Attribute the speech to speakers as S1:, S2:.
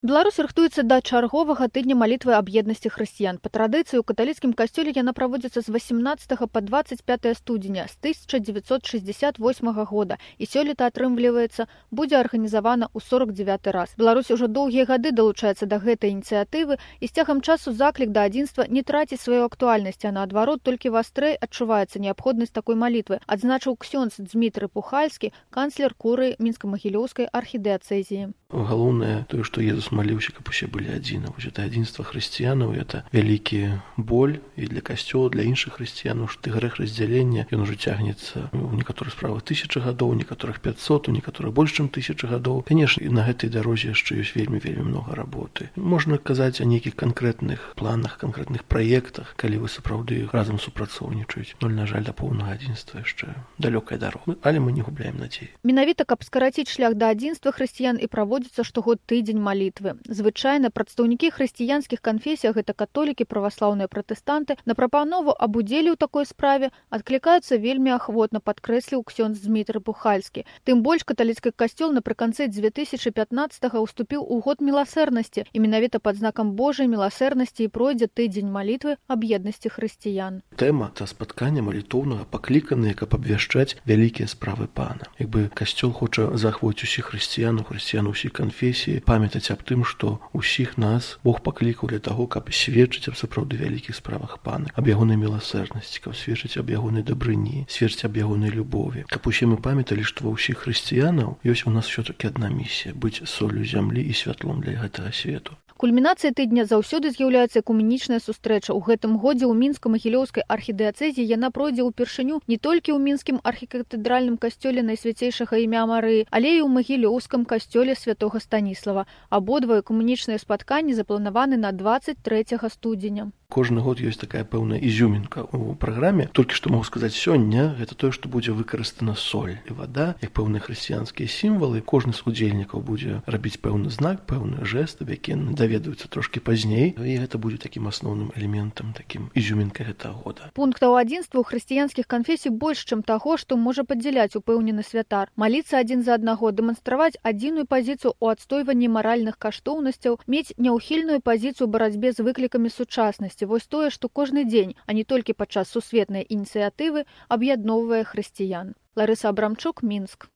S1: Беларусь рыхтуецца да чарговага тыдня малітвы аб еднасці хрысціян. Па традыцыі ў каталіцкім касцёле яна праводзіцца з 18 па 25 студзеня з 1968 года і сёлета, атрымліваецца, будзе арганізавана ў 49 раз. Беларусь ужо доўгія гады далучаецца да гэтай ініцыятывы і з цягам часу заклік да адзінства не траціць сваю актуальнасць, а наадварот толькі вастрэй адчуваецца неабходнасць такой малітвы, адзначыў ксёндз Дзмітрый Пухальскі, канцлер курыі Мінска-Магілёўскай архідыяцэзіі.
S2: Галоўнае тое, што Езус маліўся, каб усе былі адзіны. Вось это адзінства хрысціянаў, это вялікі боль і для касцёла, для іншых хрысціянаў, што грэх раздзялення, ён ужо цягнецца у некаторых справах 1000 гадоў, у некаторых 500, у некаторых больш чым 1000 гадоў. Канешне, і на гэтай дарозе яшчэ ёсць вельмі многа работы. Можна казаць о нейкіх канкрэтных планах, канкрэтных праектах, калі вы сапраўды разам супрацоўнічаеце. Но, на жаль, да поўнага адзінства яшчэ далёкая дарога. Але мы не губляем надзеі.
S1: Менавіта, каб скараціць шлях да адзінства хрысціян і праводзіцца штогод тыдзень малітвы. Звычайна прадстаўнікі хрысціянскіх канфесій, гэта католікі, праваслаўныя пратэстанты, на прапанову аб удзеле ў такой справе адклікаюцца вельмі ахвотна, падкрэсліў ксёндз Дзмітрый Пухальскі. Тым больш каталіцкі касцёл напрыканцы 2015-га уступіў у год міласэрнасці, і менавіта пад знакам Божай міласэрнасці і пройдзе тыдзень малітвы аб еднасці хрысціян.
S2: Тэма та спаткання малітоўнага пакліканыя, каб абвяшчаць вялікія справы Пана. Якби касцёл хоча захвоціць усіх хрысціянаў усіх канфесій, памятаць аб тым, што усіх нас Бог паклікаў для таго, каб сведчыць аб сапраўды вялікіх справах Пана, аб ягонай міласэрнасці, каб сведчыць аб ягонай дабрыні, сведчыць аб ягонай любові. Каб усе мы памяталі, што ва ўсіх хрысціянаў ёсць у нас ўсё-такі адна місія быць соллю зямлі і святлом для гэтага свету.
S1: Кульмінацыяй тыдня заўсёды з'яўляецца экуменічная сустрэча. У гэтым годзе ў Мінска-Магілёўскай архідыяцэзіі яна пройдзе ўпершыню не толькі ў мінскім архікатэдральным касцёле Найсвяцейшага імя Марыі, але і ў Магілёўскім касцёле святога Станіслава. Абодва экуменічныя спатканні запланаваны на 23 студзеня.
S2: Кожны год ёсць такая пэўная ізюмінка ў праграме. Толькі што магу сказаць сёння, гэта тое, што будзе выкарыстана соль і вада, як пэўныя хрысціянскія сімвалы. Кожны з удзельнікаў будзе рабіць пэўны знак, пэўны жэст, які даведаюцца трошкі пазней, і гэта будзе такім асноўным элементам, такім ізюмінкай гэтага года.
S1: Пунктаў адзінства ў хрысціянскіх канфесій больш, чым таго, што можа падзяляць упэўнены святар. Маліцца адзін за аднаго, дэманстраваць адзіную пазіцыю ў адстойванні маральных каштоўнасцяў, мець няўхільную пазіцыю ў барацьбе з выклікамі сучаснасці. Вось тое, што кожны дзень, а не толькі падчас сусветнай ініцыятывы, аб'ядноўвае хрысціян. Ларыса Абрамчук, Мінск.